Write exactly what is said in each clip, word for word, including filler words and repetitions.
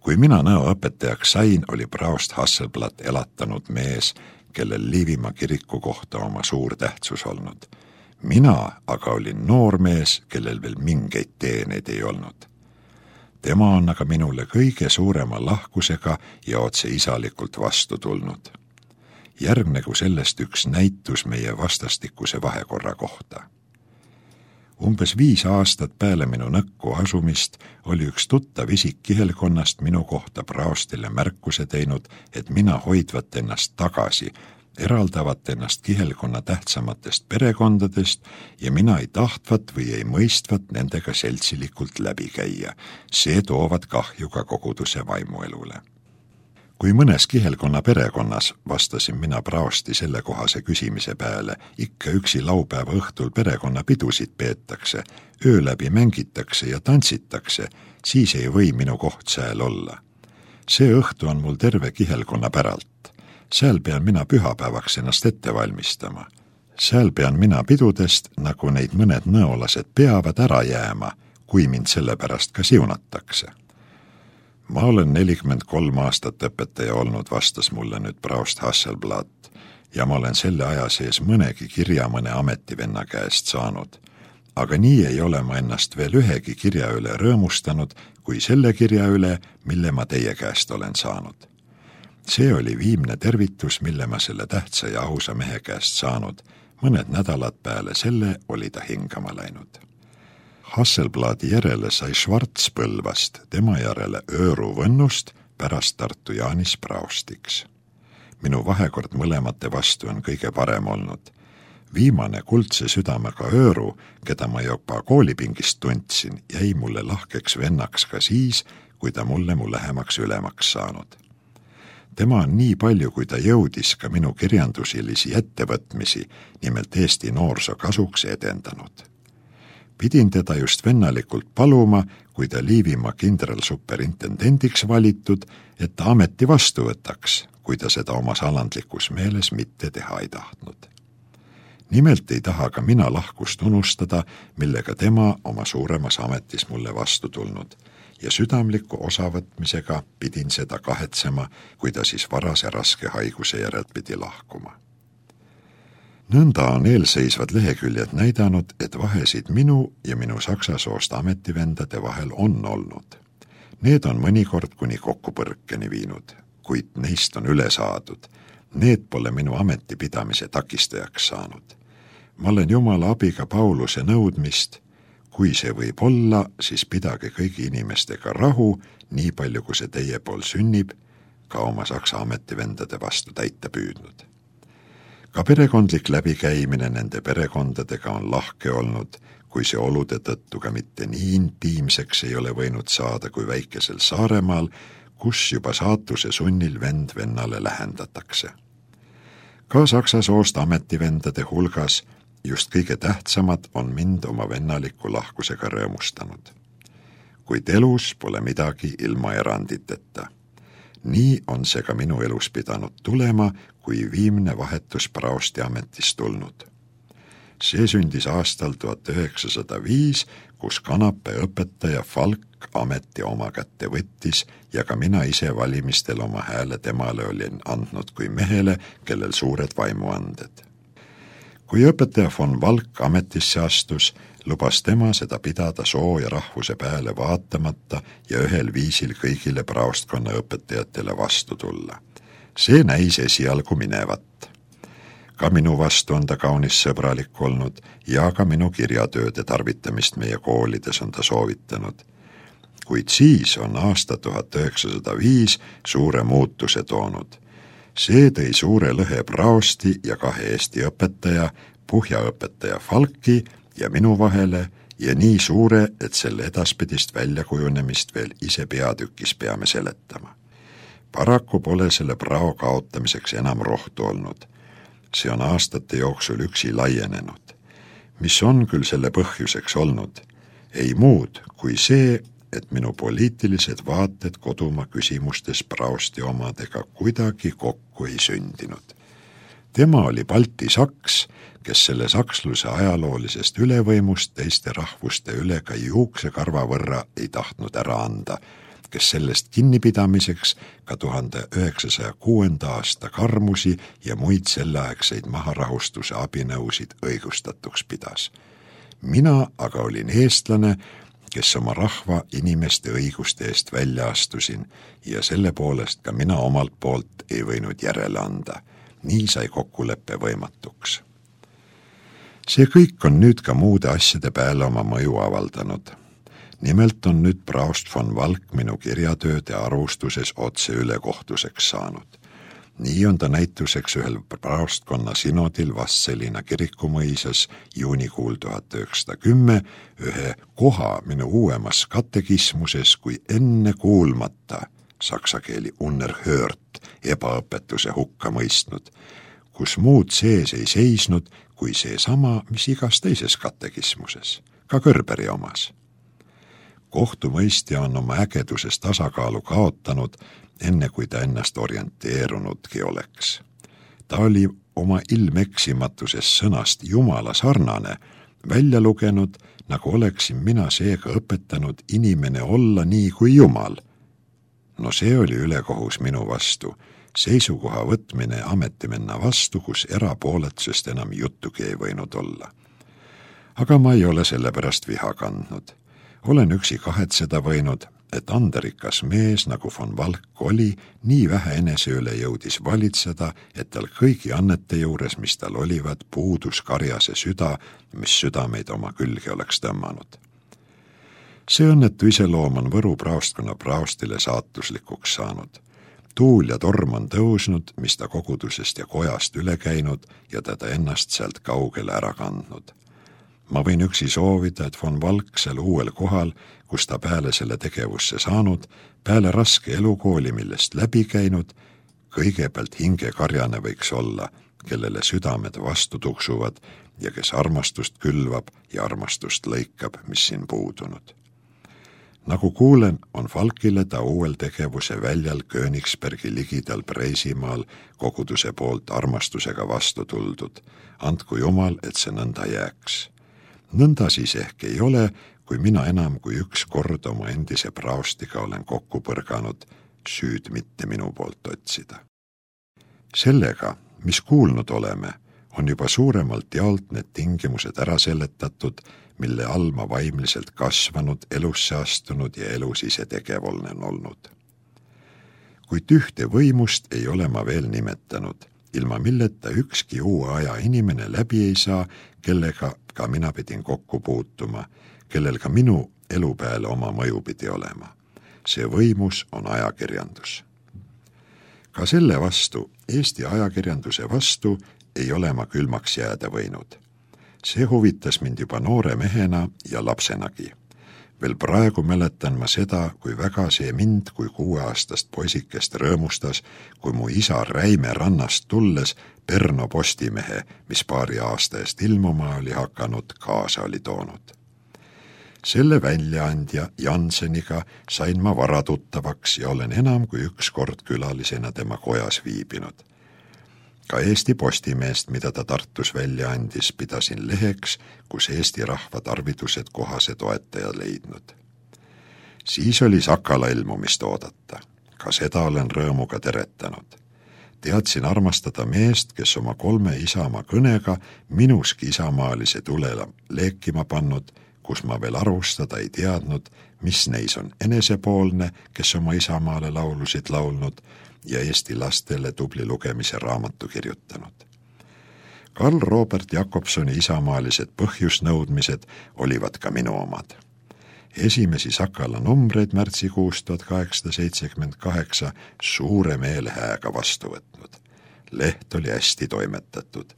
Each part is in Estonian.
Kui mina nõoõpetajaks sain, oli Braust Hasselblad elatanud mees, kellel Liivimaa kiriku kohta oma suur tähtsus olnud. Mina aga olin noor mees, kellel veel mingeid teeneid ei olnud. Tema on aga minule kõige suurema lahkusega ja otse isalikult vastu tulnud. Järgnegu sellest üks näitus meie vastastikuse vahekorra kohta. Umbes viis aastat peale minu nõkku asumist oli üks tuttav isik kihelkonnast minu kohta Braustile märkuse teinud, et mina hoidvat ennast tagasi, eraldavat ennast kihelkonna tähtsamatest perekondadest ja mina ei tahtvat või ei mõistvat nendega seltsilikult läbi käia. See toovad kahju ka koguduse vaimuelule. Kui mõnes kihelkonna perekonnas, vastasin mina Brausti sellekohase küsimise peale, ikka üksi laupäeva õhtul perekonna pidusid peetakse, öö läbi mängitakse ja tantsitakse, siis ei või minu koht sääl olla. See õhtu on mul terve kihelkonna päralt. Sääl pean mina pühapäevaks ennast ette valmistama. Sääl pean mina pidudest, nagu neid mõned nõolased peavad ära jääma, kui mind selle pärast ka siunatakse. Ma olen nelikümmend kolm aastat õpetaja olnud, vastas mulle nüüd Braust Hasselblad, ja ma olen selle aja sees mõnegi kirja mõne ametivenna käest saanud. Aga nii ei ole ma ennast veel ühegi kirja üle rõõmustanud, kui selle kirja üle, mille ma teie käest olen saanud. See oli viimne tervitus, mille ma selle tähtsa ja ausa mehe käest saanud. Mõned nädalad peale selle oli ta hingama läinud. Hasselbladi järele sai Schwarz Põlvast, tema järele Ööru Võnnust, pärast Tartu Jaanis Braustiks. Minu vahekord mõlemate vastu on kõige parem olnud. Viimane kuldse südamega Ööru, keda ma juba koolipingist tundsin, jäi mulle lahkeks vennaks ka siis, kui ta mulle mu lähemaks ülemaks saanud. Tema on nii palju, kui ta jõudis ka minu kirjandusilisi ettevõtmisi, nimelt Eesti noorsoo kasuks edendanud. Pidin teda just vennalikult paluma, kui ta Liivimaa kindralsuperintendendiks valitud, et ta ameti vastu võtaks, kui ta seda omas alandlikus meeles mitte teha ei tahtnud. Nimelt ei taha ka mina lahkust unustada, millega tema oma suuremas ametis mulle vastu tulnud, ja südamliku osavõtmisega pidin seda kahetsema, kui ta siis varase raske haiguse järelt pidi lahkuma. Nõnda on eelseisvad leheküljed näidanud, et vahesid minu ja minu saksa soost ametivendade vahel on olnud. Need on mõnikord kuni kokkupõrkeni viinud, kuid neist on üle saadud. Need pole minu ametipidamise takistajaks saanud. Ma olen Jumala abiga Pauluse nõudmist, kui see võib olla, siis pidage kõigi inimestega rahu, nii palju kui see teie pool sünnib, ka oma saksa ametivendade vastu täita püüdnud. Ka perekondlik läbikäimine nende perekondadega on lahke olnud, kui see olude tõttu ka mitte nii intiimseks ei ole võinud saada kui väikesel Saaremaal, kus juba saatuse sunnil vend vennale lähendatakse. Ka saksa soost ametivendade hulgas just kõige tähtsamad on mind oma vennaliku lahkusega rõõmustanud. Kuid elus pole midagi ilma eranditeta. Nii on see ka minu elus pidanud tulema, kui viimne vahetus Brausti ametis tulnud. See sündis aastal tuhat üheksasada viis, kus Kanape õpetaja Falk ameti oma kätte võttis ja ka mina ise valimistel oma hääle temale olin andnud kui mehele, kellel suured vaimuanded. Kui õpetaja von Valk ametisse astus, lubas tema seda pidada soo ja rahvuse peale vaatamata ja ühel viisil kõigile Braustkonna õpetajatele vastu tulla. See näis esialgu minevat. Ka minu vastu on ta kaunis sõbralik olnud ja ka minu kirjatööde tarvitamist meie koolides on ta soovitanud. Kuid siis on aasta tuhat üheksasada viis suure muutuse toonud. See tõi suure lõhe Brausti ja kahe Eesti õpetaja, Puhja-õpetaja Falki ja minu vahele ja nii suure, et selle edaspidist väljakujunemist veel ise peatükis peame seletama. Paraku pole selle Brau kaotamiseks enam rohtu olnud. See on aastate jooksul üksi laienenud. Mis on küll selle põhjuseks olnud? Ei muud kui see, et minu poliitilised vaated kodumaa küsimustes Brausti omadega kuidagi kokku ei sündinud. Tema oli Balti saks, kes selle saksluse ajaloolisest ülevõimust teiste rahvuste üle ka juuksekarva võrra ei tahtnud ära anda kes sellest kinnipidamiseks ka tuhande üheksasaja kuuenda aasta karmusi ja muid selleaegseid maharahustuse abinõusid õigustatuks pidas. Mina aga olin eestlane, kes oma rahva inimeste õiguste eest välja astusin ja selle poolest ka mina omalt poolt ei võinud järele anda. Nii sai kokkuleppe võimatuks. See kõik on nüüd ka muude asjade peale oma mõju avaldanud. Nimelt on nüüd praost von Valk minu kirjatööde arvustuses otse ülekohtuseks saanud. Nii on ta näituseks ühel praostkonna sinodil Vastseliina kirikumõisas juunikuul tuhat üheksasada kümme ühe koha minu uuemas katekismuses kui enne kuulmata saksa keeli unerhört ebaõpetuse hukka mõistnud, kus muud sees ei seisnud kui see sama, mis igas teises katekismuses, ka Kõrberi omas. Kohtumõistja on oma ägeduses tasakaalu kaotanud, enne kui ta ennast orienteerunudki oleks. Ta oli oma ilmeksimatuses sõnast Jumala sarnane, välja lugenud, nagu oleksin mina seega õpetanud inimene olla nii kui Jumal. No see oli ülekohus minu vastu, seisukoha võtmine ametimenna vastu, kus erapooletusest enam juttugi ei võinud olla. Aga ma ei ole sellepärast viha kandnud. Olen üksi kahetseda võinud, et anderikas mees, nagu von Valk oli, nii vähe enese üle jõudis valitseda, et tal kõigi annete juures, mis tal olivad, puudus karjase süda, mis südameid oma külge oleks tõmmanud. See õnnetu iseloom on Võru praostkonna praostile saatuslikuks saanud. Tuul ja torm on tõusnud, mis ta kogudusest ja kojast üle käinud ja teda ennast sealt kaugele ära kandnud. Ma võin üksi soovida, et von Valk seal uuel kohal, kus ta peale selle tegevusse saanud, peale raske elukooli, millest läbi käinud, kõigepealt hingekarjane võiks olla, kellele südamed vastu tuksuvad ja kes armastust külvab ja armastust lõikab, mis siin puudunud. Nagu kuulen, on Valkile ta uuel tegevuse väljal Königsbergi ligidal Preisimaal koguduse poolt armastusega vastu tuldud. Andku Jumal, et see nõnda jääks. Nõnda siis ehk ei ole, kui mina enam kui üks kord oma endise praostiga olen kokku põrganud, süüd mitte minu poolt otsida. Sellega, mis kuulnud oleme, on juba suuremalt jaolt need tingimused ära seletatud, mille all ma vaimliselt kasvanud, elusse astunud ja elus ise tegev olen olnud. Kuid ühte võimust ei ole ma veel nimetanud, ilma milleta ükski uue aja inimene läbi ei saa, kellega ka mina pidin kokku puutuma, kellel ka minu elu peale oma mõju pidi olema. See võimus on ajakirjandus. Ka selle vastu, Eesti ajakirjanduse vastu, ei ole ma külmaks jääda võinud. See huvitas mind juba noore mehena ja lapsenagi. Veel praegu mäletan ma seda, kui väga see mind kui kuueaastast poisikest rõõmustas, kui mu isa Räime rannast tulles Perno Postimehe, mis paari aasta eest ilmuma oli hakanud, kaasa oli toonud. Selle väljaandja Janseniga sain ma varatuttavaks ja olen enam kui üks kord külalisena tema kojas viibinud. Ka Eesti Postimeest, mida ta Tartus välja andis, pidasin leheks, kus Eesti rahva tarvidused kohase toetaja leidnud. Siis oli Sakala ilmumist oodata. Ka seda olen rõõmuga teretanud. Teadsin armastada meest, kes oma kolme isamaa kõnega minuski isamaalise tulela leekima pannud, kus ma veel arvustada ei teadnud, mis neis on enesepoolne, kes oma isamaale laulusid laulnud, ja Eesti lastele tubli lugemise raamatu kirjutanud. Karl Robert Jakobsoni isamaalised põhjusnõudmised olivad ka minu omad. Esimesi Sakala numbreid märtsikuust tuhat kaheksasada seitsekümmend kaheksa suure meelehääga vastu võtnud. Leht oli hästi toimetatud.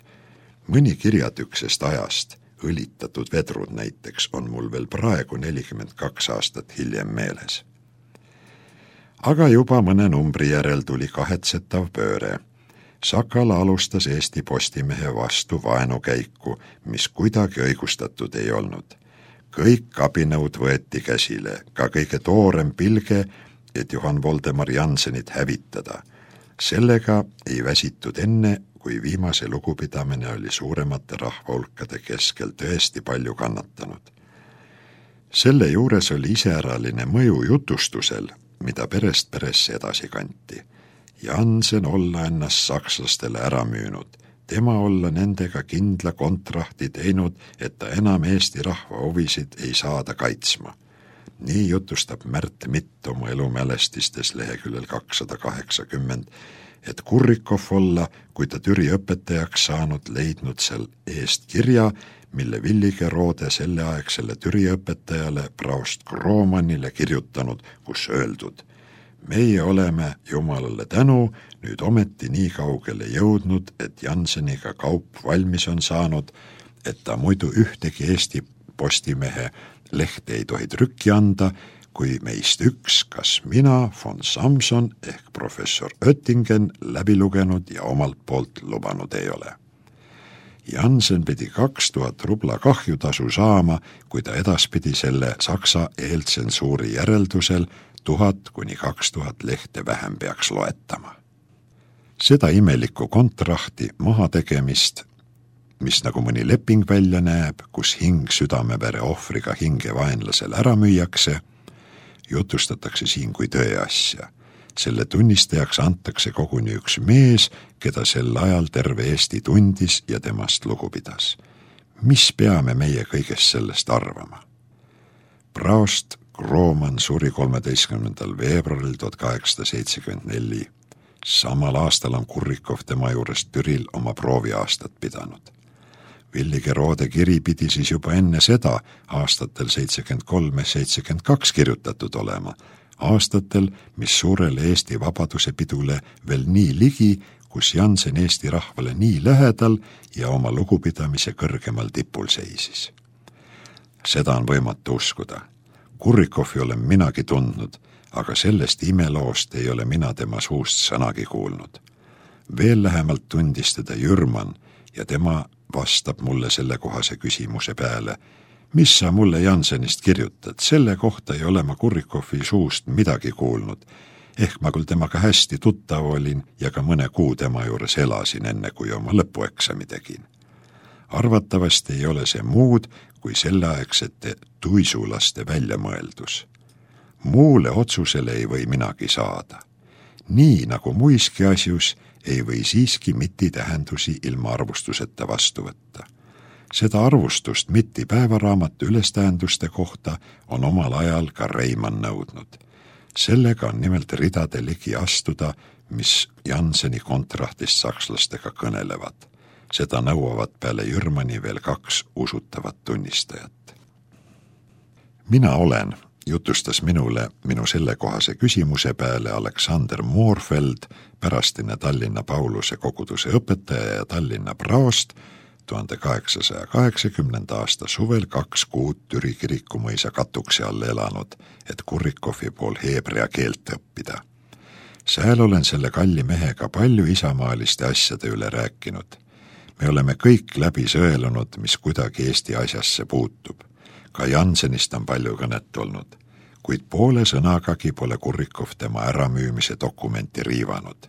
Mõni kirjatüksest ajast, õlitatud vedrud näiteks, on mul veel praegu nelikümmend kaks aastat hiljem meeles. Aga juba mõne numbri järel tuli kahetsetav pööre. Sakala alustas Eesti Postimehe vastu vaenukäiku, mis kuidagi õigustatud ei olnud. Kõik abinõud võeti käsile, ka kõige toorem pilge, et Johann Voldemar Jansenit hävitada. Sellega ei väsitud enne, kui viimase lugupidamine oli suuremate rahvahulkade keskel tõesti palju kannatanud. Selle juures oli iseäraline mõju jutustusel, mida perest peresse edasi kanti. Jansen olla ennast sakslastele ära müünud, tema olla nendega kindla kontrahti teinud, et ta enam Eesti rahva huvisid ei saada kaitsma. Nii jutustab Märt Mitt oma elumälestistes leheküljel kakssada kaheksakümmend, et Kurrikov olla, kui ta Türi õpetajaks saanud, leidnud seal eest kirja, mille Villige Roode selleaegsele Türi õpetajale Praost Gromanile kirjutanud, kus öeldud: meie oleme Jumalale tänu nüüd ometi nii kaugele jõudnud, et Janseniga kaup valmis on saanud, et ta muidu ühtegi Eesti Postimehe lehte ei tohi trükki anda, kui meist üks, kas mina, von Samson ehk professor Oettingen läbi lugenud ja omalt poolt lubanud ei ole. Jansen pidi kaks tuhat rubla kahjutasu saama, kui ta edaspidi selle Saksa eeltsensuuri järeldusel tuhat kuni kaks tuhat lehte vähem peaks loetama. Seda imelikku kontrahti mahategemist, mis nagu mõni leping välja näeb, kus hing südamevere ohvriga hinge vaenlasel ära müüakse, jutustatakse siin kui tõeasja. Selle tunnistajaks antakse koguni üks mees, keda sel ajal terve Eesti tundis ja temast lugu pidas. Mis peame meie kõigest sellest arvama? Praost Groman suri kolmeteistkümnendal veebruaril tuhat kaheksasada seitsekümmend neli. Samal aastal on Kurrikov tema juurest Türil oma prooviaastat pidanud. Villige Roode kiri pidi siis juba enne seda aastatel seitsekümmend kolm seitsekümmend kaks kirjutatud olema, aastatel, mis suurele Eesti vabaduse pidule veel nii ligi, kus Jansen Eesti rahvale nii lähedal ja oma lugupidamise kõrgemal tipul seisis. Seda on võimatu uskuda. Kurrikovi olen minagi tundnud, aga sellest imeloost ei ole mina tema suust sõnagi kuulnud. Veel lähemalt tundis teda Jürman ja tema vastab mulle selle kohase küsimuse peale: mis sa mulle Jansenist kirjutad, selle kohta ei ole ma Kurrikovi suust midagi kuulnud. Ehk ma küll temaga hästi tuttav olin ja ka mõne kuu tema juures elasin, enne kui oma lõpueksami tegin. Arvatavasti ei ole see muud kui selleaegsete tuisulaste väljamõeldus. Muule otsusele ei või minagi saada. Nii nagu muiski asjus ei või siiski Mitti tähendusi ilma arvustuseta vastu võtta. Seda arvustust Mitti päevaraamatu ülestähenduste kohta on omal ajal ka Reimann nõudnud. Sellega on nimelt ridade ligi astuda, mis Janseni kontrahtist sakslastega kõnelevad. Seda nõuavad peale Jürmani veel kaks usutavat tunnistajat. Mina olen, jutustas minule minu sellekohase küsimuse peale Aleksander Moorfeld, pärastine Tallinna Pauluse koguduse õpetaja ja Tallinna praost, tuhande kaheksasaja kaheksakümnenda aasta suvel kaks kuud Türi kirikumõisa katukse all elanud, et Kurrikovi pool heebrea keelt õppida. Sääl olen selle kalli mehega palju isamaaliste asjade üle rääkinud. Me oleme kõik läbi sõelunud, mis kuidagi Eesti asjasse puutub. Ka Jansenist on palju kõnet olnud, kuid poole sõnagagi pole Kurrikov tema äramüümise dokumenti riivanud.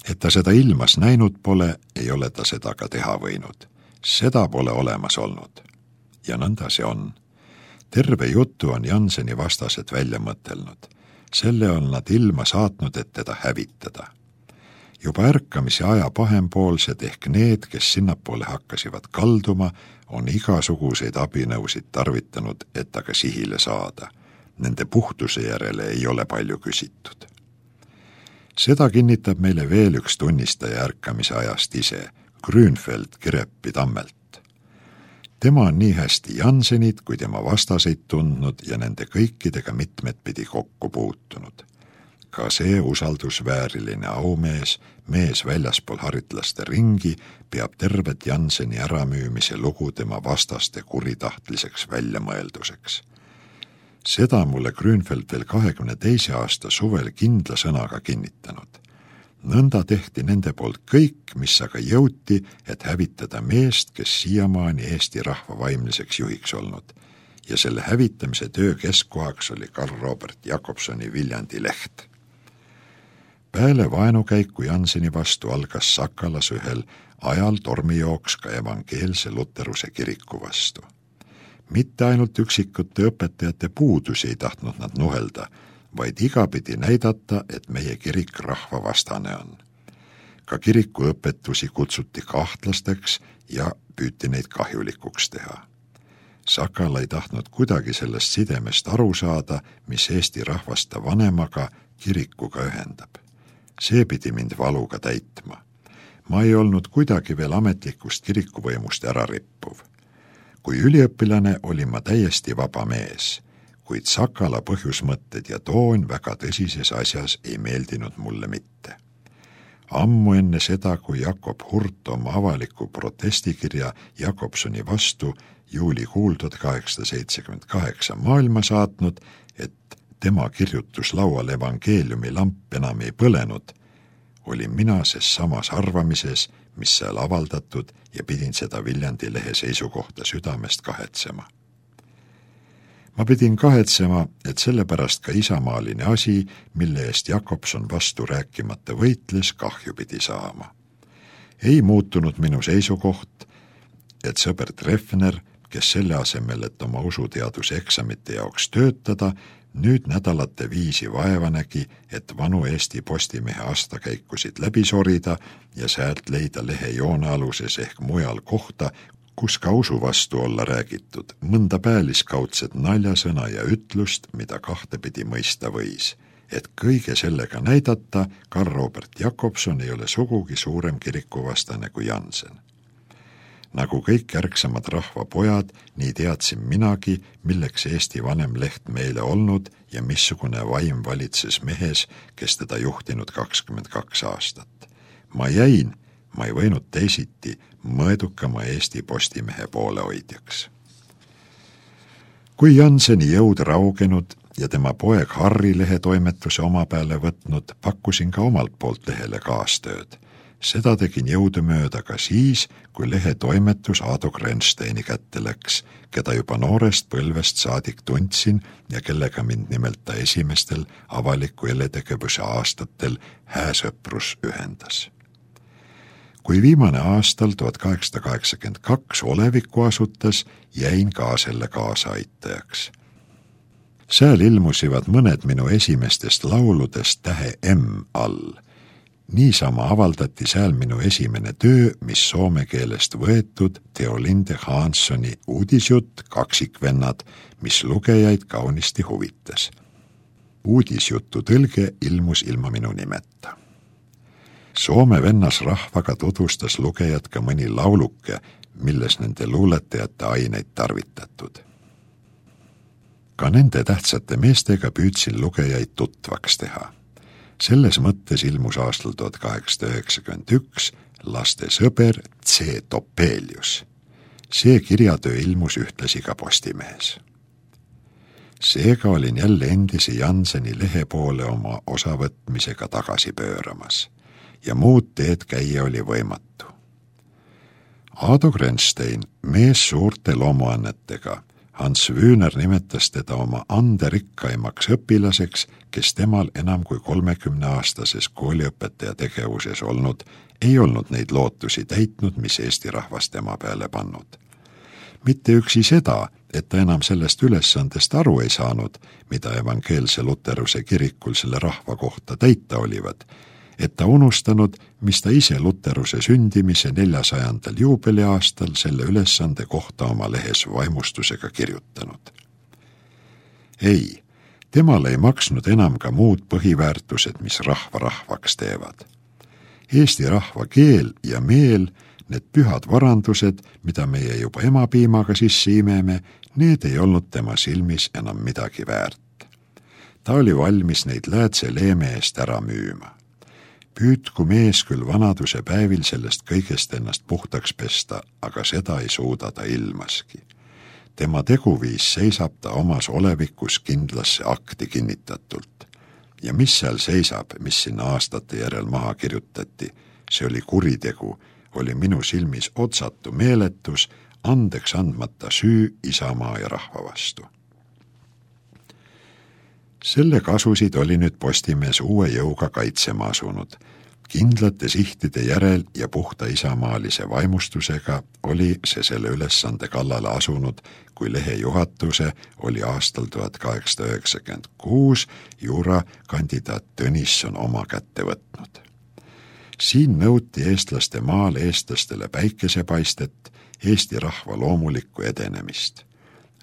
Et ta seda ilmas näinud pole, ei ole ta seda ka teha võinud. Seda pole olemas olnud. Ja nõnda see on. Terve jutu on Janseni vastased välja mõtelnud. Selle on nad ilma saatnud, et teda hävitada. Juba ärkamise aja pahempoolsed ehk need, kes sinnapoole hakkasivad kalduma, on igasuguseid abinõusid tarvitanud, et aga sihile saada. Nende puhtuse järele ei ole palju küsitud. Seda kinnitab meile veel üks tunnistaja ärkamise ajast ise, Grünfeld Kireppi Tammelt. Tema on nii hästi Jansenit kui tema vastaseid tundnud ja nende kõikidega mitmed pidi kokku puutunud. Ka see usaldusvääriline aumees, mees väljaspool haritlaste ringi, peab tervet Janseni äramüümise lugu tema vastaste kuritahtliseks väljamõelduseks. Seda mulle Grünfeld veel kahekümne teise aasta suvel kindla sõnaga kinnitanud. Nõnda tehti nende poolt kõik, mis aga jõuti, et hävitada meest, kes siiamaani Eesti rahva vaimliseks juhiks olnud. Ja selle hävitamise töö keskkohaks oli Karl Robert Jakobsoni Viljandi leht. Peale vaenukäiku Janseni vastu algas Sakalas ühel ajal tormijooks ka evangeelse luteruse kiriku vastu. Mitte ainult üksikute õpetajate puudusi ei tahtnud nad nuhelda, vaid igapidi näidata, et meie kirik rahvavastane on. Ka kiriku õpetusi kutsuti kahtlasteks ja püüti neid kahjulikuks teha. Sakala ei tahtnud kuidagi sellest sidemest aru saada, mis Eesti rahvaste vanemaga kirikuga ühendab. See pidi mind valuga täitma. Ma ei olnud kuidagi veel ametlikust kirikuvõimust ära rippuv. Kui üliõpilane olin ma täiesti vaba mees, kuid Sakala põhjusmõtted ja toon väga tõsises asjas ei meeldinud mulle mitte. Ammu enne seda, kui Jakob Hurt oma avaliku protestikirja Jakobsoni vastu juulikuul tuhat kaheksasada seitsekümmend kaheksa maailma saatnud, et tema kirjutuslaual evangeeliumi lamp enam ei põlenud, olin mina ses samas arvamises, mis seal avaldatud ja pidin seda Viljandi lehe seisukohta südamest kahetsema. Ma pidin kahetsema, et sellepärast ka isamaaline asi, mille eest Jakobson vastu rääkimata võitles, kahju pidi saama. Ei muutunud minu seisukoht, et sõber Treffner, kes selle asemel, et oma usuteaduse eksamite jaoks töötada, nüüd nädalate viisi vaeva nägi, et vanu Eesti Postimehe aastakäikusid läbi sorida ja säält leida lehe joonealuses ehk mujal kohta, kus ka usu vastu olla räägitud, mõnda pääliskaudset naljasõna ja ütlust, mida kahtepidi mõista võis. Et kõige sellega näidata, Karl Robert Jakobson ei ole sugugi suurem kirikuvastane kui Jansen. Nagu kõik järgsamad rahvapojad, nii teadsin minagi, milleks Eesti vanem leht meile olnud ja missugune vaim valitses mehes, kes teda juhtinud kakskümmend kaks aastat. Ma jäin, ma ei võinud teisiti, mõõdukama Eesti Postimehe poolehoidjaks. Kui Janseni jõud raugenud ja tema poeg Harri lehe toimetuse oma peale võtnud, pakkusin ka omalt poolt lehele kaastööd. Seda tegin jõudumööda ka siis, kui lehe toimetus Aado Grensteini kätte läks, keda juba noorest põlvest saadik tundsin ja kellega mind nimelt ta esimestel avaliku eletegevuse aastatel hääsõprus ühendas. Kui viimane aastal tuhat kaheksasada kaheksakümmend kaks olevikku asutas, jäin ka selle kaasaaitajaks. Sääl ilmusivad mõned minu esimestest lauludest tähe M all. Niisama avaldati sääl minu esimene töö, mis soome keelest võetud Teo Linde Hanssoni uudisjutt Kaksikvennad, mis lugejaid kaunisti huvitas. Uudisjutu tõlge ilmus ilma minu nimeta. Soome vennas rahvaga tutvustas lugejad ka mõni lauluke, milles nende luuletajate aineid tarvitatud. Ka nende tähtsate meestega püüdsin lugejaid tutvaks teha. Selles mõttes ilmus aastal tuhat kaheksasada üheksakümmend üks laste sõber C. Topelius. See kirjatöö ilmus ühtlasi ka Postimehes. Seega olin jälle endise Janseni lehe poole oma osavõtmisega tagasi pööramas ja muud teed käia oli võimatu. Aado Grenstein, mees suurte loomuannetega, Hans Wühner nimetas teda oma anderikkaimaks õpilaseks, kes temal enam kui kolmekümneaastases kooliõpetaja tegevuses olnud, ei olnud neid lootusi täitnud, mis Eesti rahvas tema peale pannud. Mitte üksi seda, et ta enam sellest ülesandest aru ei saanud, mida evangeelse luteruse kirikul selle rahva kohta täita olivad, et ta unustanud, mis ta ise luteruse sündimise neljasajandal juubeliaastal selle ülesande kohta oma lehes vaimustusega kirjutanud. Ei, temal ei maksnud enam ka muud põhiväärtused, mis rahva rahvaks teevad. Eesti rahva keel ja meel, need pühad varandused, mida meie juba emapiimaga sisse imeme, need ei olnud tema silmis enam midagi väärt. Ta oli valmis neid läätse leeme eest ära müüma. Püüdku mees küll vanaduse päevil sellest kõigest ennast puhtaks pesta, aga seda ei suuda ta ilmaski. Tema teguviis seisab ta omas olevikus kindlasse akti kinnitatult. Ja mis seal seisab, mis sinna aastate järel maha kirjutati, see oli kuritegu, oli minu silmis otsatu meeletus, andeks andmata süü isamaa ja rahva vastu. Selle kasusid oli nüüd Postimees uue jõuga kaitsema asunud, Kindlate sihtide järel ja puhta isamaalise vaimustusega oli see selle ülesande kallale asunud, kui lehe juhatuse oli aastal tuhat kaheksasada üheksakümmend kuus juurakandidaat Tõnisson oma kätte võtnud. Siin nõuti eestlaste maal eestlastele päikesepaistet, Eesti rahva loomulikku edenemist.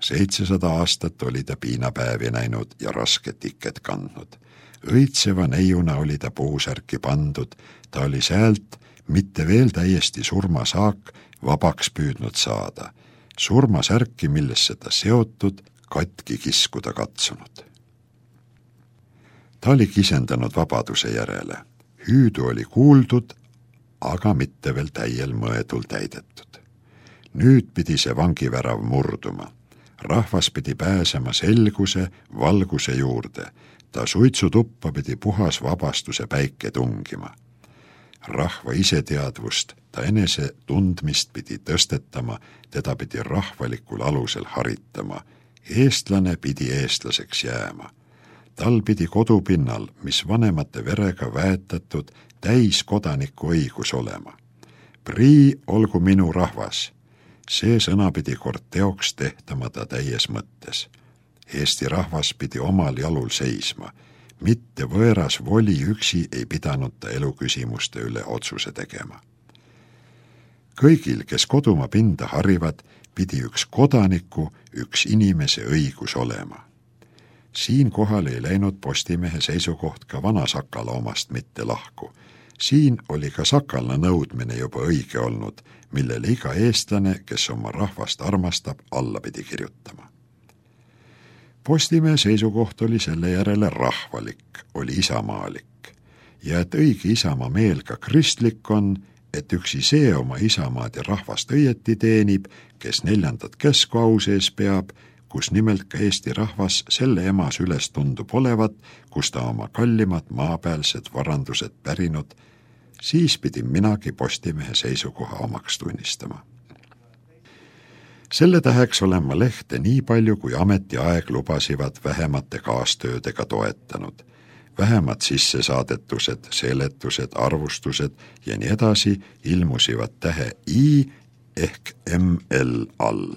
seitsesada aastat oli ta piinapäevi näinud ja rasket iket kandnud. Õitseva neiuna oli ta puusärki pandud, ta oli säält mitte veel täiesti surmasaak vabaks püüdnud saada. Surmasärki, millesse ta seotud, katki kiskuda katsunud. Ta oli kisendanud vabaduse järele. Hüüdu oli kuuldud, aga mitte veel täiel mõedul täidetud. Nüüd pidi see vangivärav murduma. Rahvas pidi pääsema selguse, valguse juurde. Ta suitsutuppa pidi puhas vabastuse päike tungima. Rahva iseteadvust, ta enese tundmist pidi tõstetama, teda pidi rahvalikul alusel haritama. Eestlane pidi eestlaseks jääma. Tal pidi kodupinnal, mis vanemate verega väetatud, täis kodaniku õigus olema. Prii olgu minu rahvas. See sõna pidi kord teoks tehtama ta täies mõttes. Eesti rahvas pidi omal jalul seisma. Mitte võõras voli üksi ei pidanud ta eluküsimuste üle otsuse tegema. Kõigil, kes kodumaa pinda harivad, pidi üks kodaniku, üks inimese õigus olema. Siin kohal ei läinud Postimehe seisukoht ka vana Sakala omast mitte lahku. Siin oli ka Sakala nõudmine juba õige olnud, millele iga eestlane, kes oma rahvast armastab, alla pidi kirjutama. Postimehe seisukoht oli selle järele rahvalik, oli isamaalik. Ja et õige isamaa meel ka kristlik on, et üksi see oma isamaad ja rahvast õieti teenib, kes neljandat käsku au sees peab, kus nimelt ka Eesti rahvas selle emas üles tundub olevat, kus ta oma kallimad maapealsed varandused pärinud, siis pidin minagi Postimehe seisukoha omaks tunnistama. Selle täheks olen ma lehte nii palju, kui ametiaeg lubasivad vähemate kaastöödega toetanud. Vähemad sissesaadetused, seletused, arvustused ja nii edasi ilmusivad tähe I ehk M L all.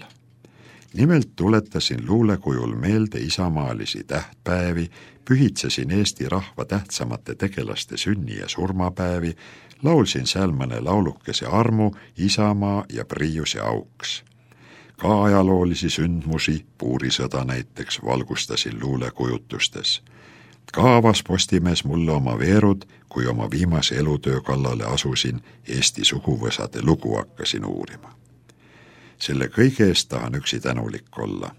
Nimelt tuletasin luulekujul meelde isamaalisi tähtpäevi, pühitsesin Eesti rahva tähtsamate tegelaste sünni- ja surmapäevi, laulsin seal mõne laulukese armu, isamaa ja priiuse auks. Ka ajaloolisi sündmusi, puurisõda näiteks, valgustasin luulekujutustes. Ka avas Postimees mulle oma veerud, kui oma viimase elutöö kallale asusin, Eesti suguvõsade lugu hakkasin uurima. Selle kõige eest tahan üksi tänulik olla.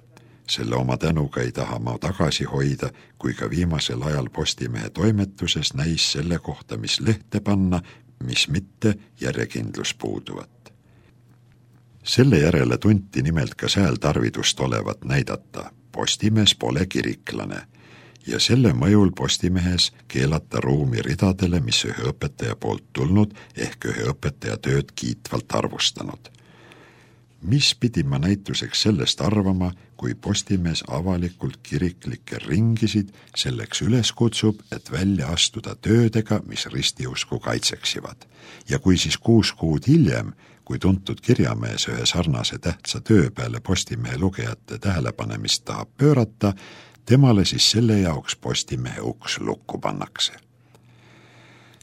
Selle oma tänuga ei taha ma tagasi hoida, kui ka viimasel ajal Postimehe toimetuses näis selle kohta, mis lehte panna, mis mitte järjekindlus puuduvat. Selle järele tunti nimelt ka sääl tarvidust olevat näidata. Postimees pole kiriklane ja selle mõjul Postimehes keelata ruumi ridadele, mis ühe õpetaja poolt tulnud ehk ühe õpetaja tööd kiitvalt arvustanud. Mis pidi ma näituseks sellest arvama, kui Postimees avalikult kiriklikke ringisid selleks üles kutsub, et välja astuda töödega, mis ristiusku kaitseksivad. Ja kui siis kuus kuud hiljem, kui tuntud kirjamees ühe sarnase tähtsa töö peale Postimehe lugejate tähelepanemist tahab pöörata, temale siis selle jaoks Postimehe uks lukku pannakse.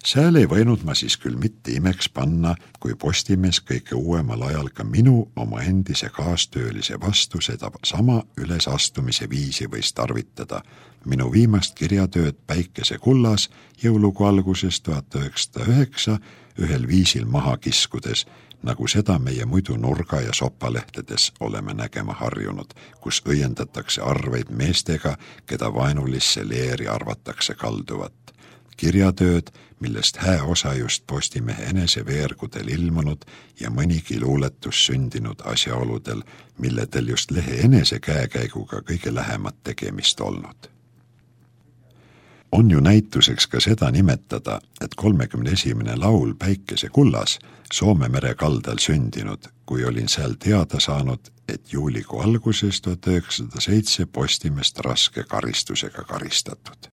Sääl ei võinud ma siis küll mitte imeks panna, kui Postimees kõige uuemal ajal ka minu oma endise kaastöölise vastu seda sama ülesastumise viisi võis tarvitada. Minu viimast kirjatööd Päikese kullas jõulugu alguses tuhat üheksasada üheksa ühel viisil maha kiskudes, nagu seda meie muidu nurga- ja sopalehtedes oleme nägema harjunud, kus õiendatakse arveid meestega, keda vaenulisse leeri arvatakse kalduvat. Kirjatööd, millest hää osa just Postimehe enese veergudel ilmunud ja mõnigi luuletus sündinud asjaoludel, milledel just lehe enese käekäiguga kõige lähemat tegemist olnud. On ju näituseks ka seda nimetada, et kolmekümne esimene laul Päikese kullas Soome mere kaldal sündinud, kui olin seal teada saanud, et juulikuu alguses tuhat üheksasada seitse Postimeest raske karistusega karistatud.